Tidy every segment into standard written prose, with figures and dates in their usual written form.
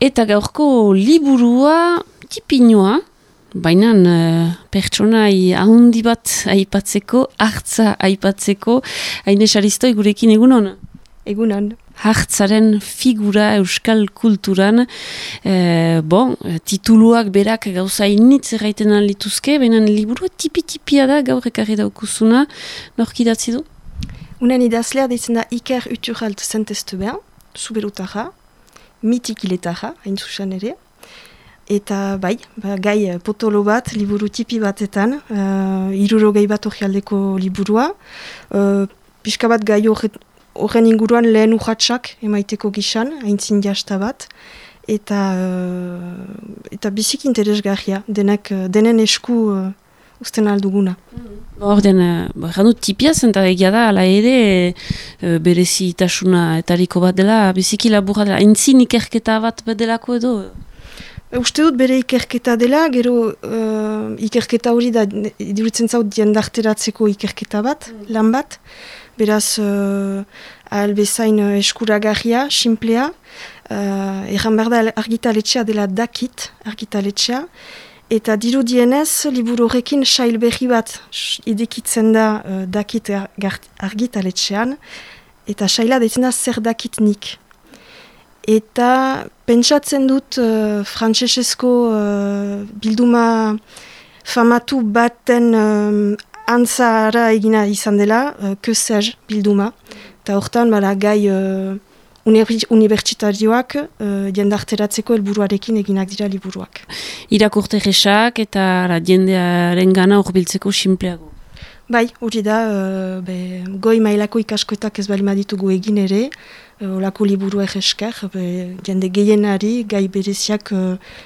Eta gaurko liburua tipinoa, baina pertsonai ahondi bat aipatzeko, hartza aipatzeko, Aine Saristoi gurekin egunon? Egunon. Hartzaren figura euskal kulturan, tituluak berak gauza initz erraiten lituzke, baina liburua tipi-tipia da gaur ekarri daukuzuna, nork idatzi du? Unen idazlea deitzen da Iker Uturralt Zenteztebean, zuberutarra, mitikiletarra, hain zuzen ere. Eta gai potolo bat, liburu tipi batetan, 60 bat orrialdeko liburua. Pixka bat gai horren inguruan lehen urratsak emaiteko gisan, haintzin jasta bat. Eta bizik interesgarria, denen esku usten alduguna. Orden, janut tipia zenta egia da, ala ere berezitasuna etariko bat dela, biziki laburra dela, haintzin ikerketa bat delako edo? Uste dut bere ikerketa dela, gero ikerketa hori da iduritzen zaut jendarteratzeko ikerketa bat, lan bat. Beraz, albezain eskuragarria, simplea. Erran behar da argitaletxea dela dakit, argitaletxea. Eta dirudienez, liburu horrekin sail berri bat idekitzen da dakit argitaletxean. Eta saila deitzen da zer dakit nik. Eta pentsatzen dut frantsesezko bilduma famatu baten antzara egina izan dela, que sais bilduma. Eta hortan gai unibertsitarioak jendarteratzeko helburuarekin eginak dira liburuak. Irakurte jesak eta jendearen gana horbiltzeko simpleago. Bai, hori da, goi mailako ikaskoetak ez balima ditugu egin ere, olako liburu esker, jende gehienari gai bereziak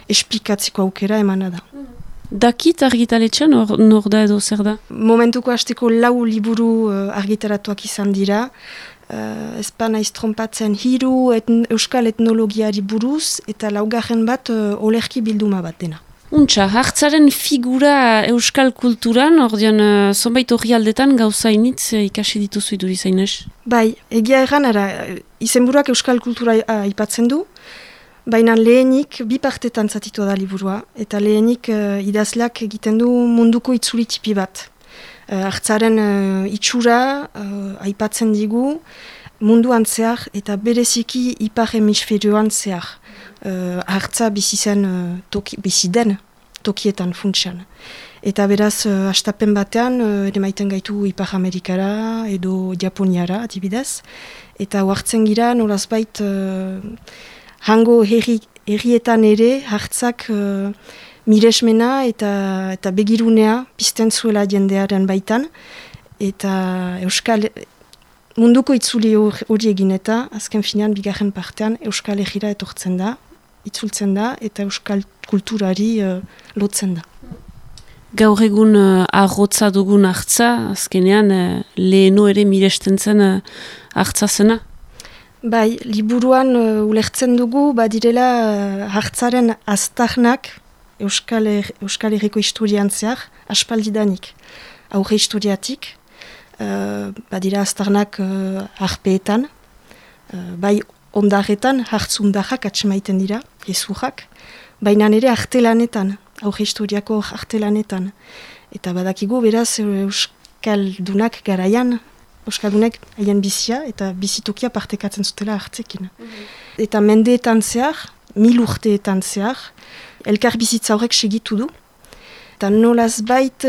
esplikatzeko aukera emana da. Dakit argitaletxean nor da edo zer da? Momentuko hasteko 4 liburu argitaratuak izan dira, ezpa naiz trompatzen 3 euskal etnologiari buruz eta 4 bat olerki bilduma bat dena. Untxa, hartzaren figura euskal kulturan, ordean zonbait orrialdetan gauza initz ikasi dituzu idurizainez? Bai, egia erran, izenburuak euskal kultura aipatzen du, baina lehenik bi partetan zatitua da liburua, eta lehenik idazleak egiten du munduko itzuli tipi bat. Hartzaren itxura aipatzen digu munduan zehar eta bereziki ipar hemisferioan zehar. Hartza bizi den tokietan funtsan. Eta beraz, hastapen batean, ere maiten gaitu Ipar Amerikara edo Japoniara, adibidez. Eta hartzen gira, nolazbait, hango herrietan ere, hartzak miresmena eta begirunea pizten zuela jendearen baitan. Eta munduko itzuli hori egin eta, azken finean, bigarren partean, Euskal Herrira etortzen da, itzultzen da, eta euskal kulturari lotzen da. Gaur egun arrotza dugun hartza, azkenean leheno ere miresten zen hartza zena? Bai, liburuan ulertzen dugu, badirela hartzaren aztarnak Euskal Herriko historian zehar, aspaldidanik. Aurre historiatik, badira aztarnak harpeetan, bai ondarretan, hartzundarrak atxemaiten dira, ezurrak, baina nire artelanetan, aurre historiako artelanetan. Eta badakigu beraz Euskaldunak garaian, Euskaldunek haien bizia eta bizitokia partekatzen zutela hartzekin. Eta mendeetan zehar, 1000 urteetan zehar, elkar bizitza horrek segitu du. Eta nolazbait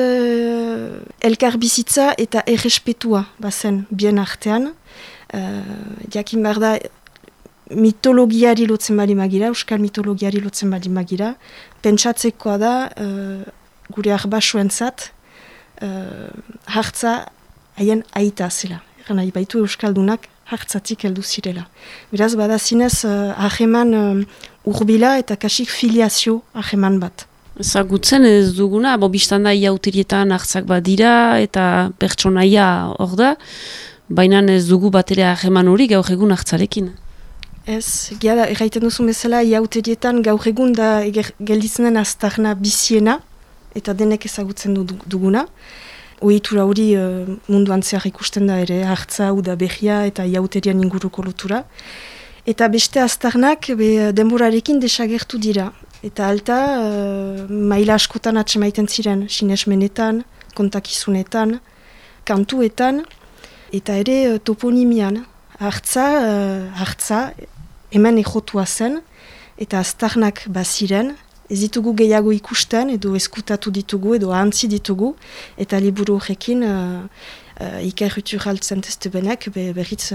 elkar bizitza eta errespetua bazen bien artean. Jakin behar da mitologiari lotzen bali magira, euskal mitologiari lotzen bali magira. Pentsatzekoa da gure arbasoentzat hartza haien aita zela. Eran nahi baitu euskaldunak hartzatik heldu zirela. Beraz, bada zinez hageman urbila eta kasik filiazio hageman bat. Ezagutzen ez duguna, biztanda iauterietan hartzak badira eta pertsonaia hor da, baina ez dugu batere hageman hori gaur egun hartzarekin. Ez, gara, erraiten duzu bezala, iauterietan gaur egun da gelditzenen aztarna biziena, eta denek ezagutzen duguna. Ohitura hori munduan zehar ikusten da ere, hartza, uda behia eta iauterian inguruko lotura. Eta beste aztarnak denborarekin desagertu dira. Eta alta, maila askotan atsemaiten ziren, sinesmenetan, kontakizunetan, kantuetan, eta ere toponimian. Hartza, hemen ejotua zen, eta aztarnak baziren, ez ditugu gehiago ikusten, edo eskutatu ditugu, edo ahantzi ditugu, eta liburu horrekin Iker Uturraltzen testebenek berriz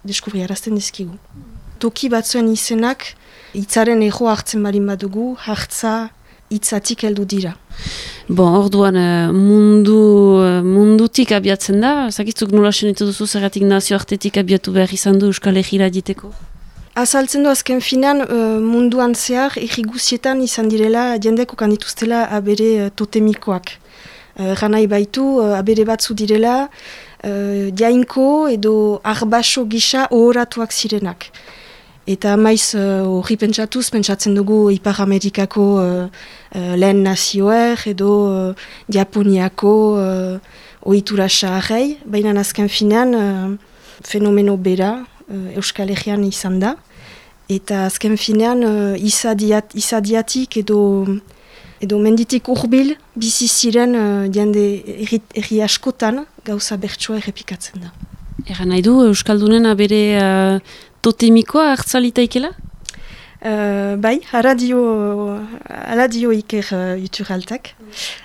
deskubriarazten dizkigu. Toki batzuen izenak, hitzaren ego hartzen barin badugu, hartza hitzatik heldu dira. Bon, orduan mundutik abiatzen da, zakitzuk nola senitu duzu zergatik nazioartetik abiatu behar izan du Euskal Herrira diteko? Azaltzen du azken finan munduan zehar erriguzietan izan direla jendeko kandituztela abere totemikoak. Ganai baitu abere batzu direla jainko edo arbaso gisa ohoratuak zirenak. Eta maiz horri pentsatzen dugu Ipar Amerikako lehen nazioer edo Japoniako ohitura saharrei, baina azken finean fenomeno bera Euskal Herrian izan da. Eta azken finean izadiatik edo menditik urbil bizi ziren jende herri askotan gauza bertsua errepikatzen da. Egan nahi du Euskaldunen abere totemikoa hartzalitaikela? Bai, hala dio Iker Uturraltek.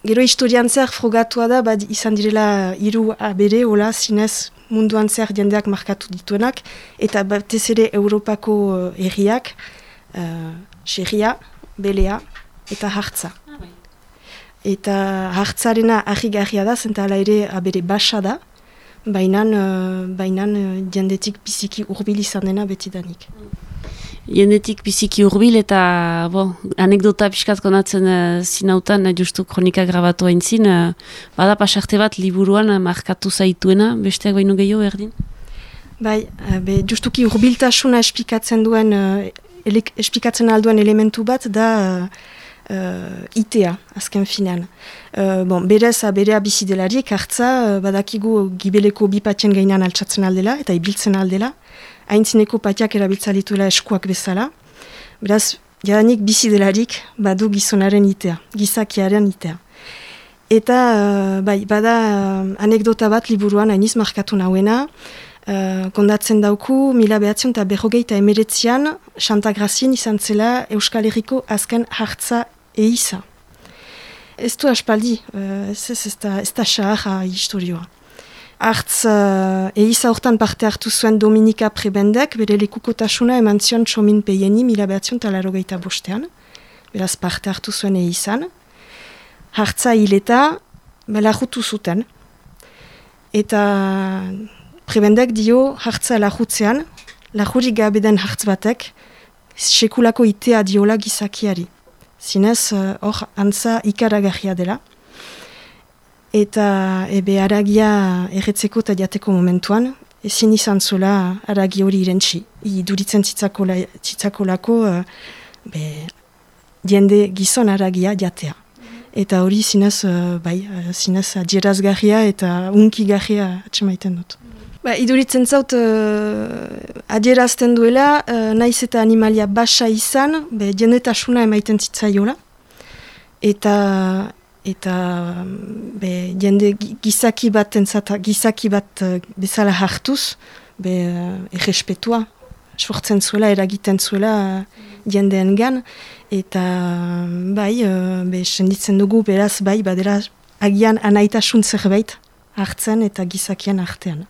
Gero historian zer frogatua da, izan direla 3 abere, hola, zinez munduan zer jendeak markatu dituenak, eta batez ere Europako herriak, Xerria, Belea eta Hartza. Eta Hartzarena harrigarria da, zenta hala ere abere basa da, bainan jendetik biziki urbil izan dena betidanik. Jendetik biziki urbil eta anekdota pixkat konatzen zinautan, justu kronika grabatu haintzin, bada pasarte bat liburuan markatu zaituena, besteak baino gehiago erdin? Bai, justuki urbiltasuna esplikatzen alduen elementu bat da itea, azken finean. Berez, berea bizidelarik, Hartza, badakigu gibeleko bi patien gainean altsatzen aldela, eta ibiltzen aldela, haintzineko patiak erabiltza dituela eskuak bezala. Beraz, jadanik bizidelarik badu gizonaren itea, gizakiaren itea. Eta, bada anekdota bat liburuan hainiz markatu nauena, kondatzen dauku, 1959an, Santagrazien izan zela Euskal Herriko azken Hartza eiza. Ez du aspaldi, ez da xaharra historioa. Hartz eiza hortan parte hartu zuen Dominika Prebendek, bere lekukotasuna eman zion Txomin Peieni 1985an, beraz parte hartu zuen eizan. Hartza hileta, lahutu zuten. Eta Prebendek dio Hartza lahutzean, lahurik gabe den hartz batek, sekulako itea diola gizakiari. Zinez, hor antza ikaragarria dela. Eta haragia erretzeko eta jateko momentuan, ezin izan zuela haragi hori irentsi. Iduritzen zitzakolako jende gizon haragia jatea. Eta hori zinez adierazgarria eta unkigarria atxemaiten dut. Iduritzen zaut adierazten duela, naiz eta animalia basa izan, jendetasuna emaiten zitzaiola. Eta jende gizaki bat bezala hartuz, errespetua, sortzen zuela, eragiten zuela jendeengan. Eta senditzen dugu beraz, badera agian anaitasun zerbait hartzen eta gizakien artean.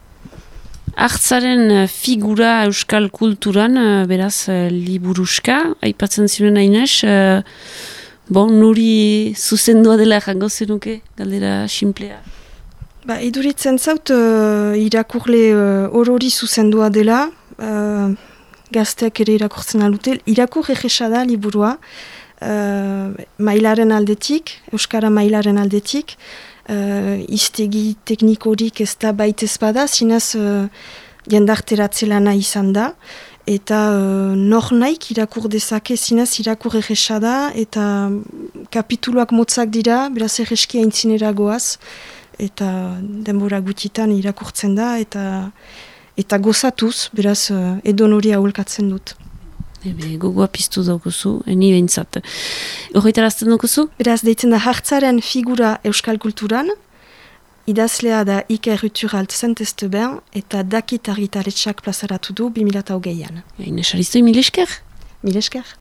Hartzaren figura euskal kulturan, beraz, liburuska, aipatzen ziren Ainez, nuri zuzendua dela jango zenuke, galdera simplea? Iduritzen zaut, irakurle orori zuzendua dela, gazteak ere irakurtzen alute, irakur egesa da liburua, mailaren aldetik, euskara mailaren aldetik, iztegi teknikorik ez da baitez bada, zinez jendarteratzelana izan da, eta nor naik irakur dezake, zinez irakur egesa da, eta kapituluak motzak dira, beraz erreski aintzinera goaz, eta denbora gutitan irakurtzen da, eta eta gozatuz, beraz edon hori aholkatzen dut. Gogoa piztu daukuzu, ni behintzat. Horretarazten daukuzu? Beraz, deitzen da hartzaren figura euskal kulturan, idazlea da Iker Uturalt Saint-Esteban eta Dakit argitaletxak plazaratu du 2008an. Ines Aristo, mil esker? Mil esker.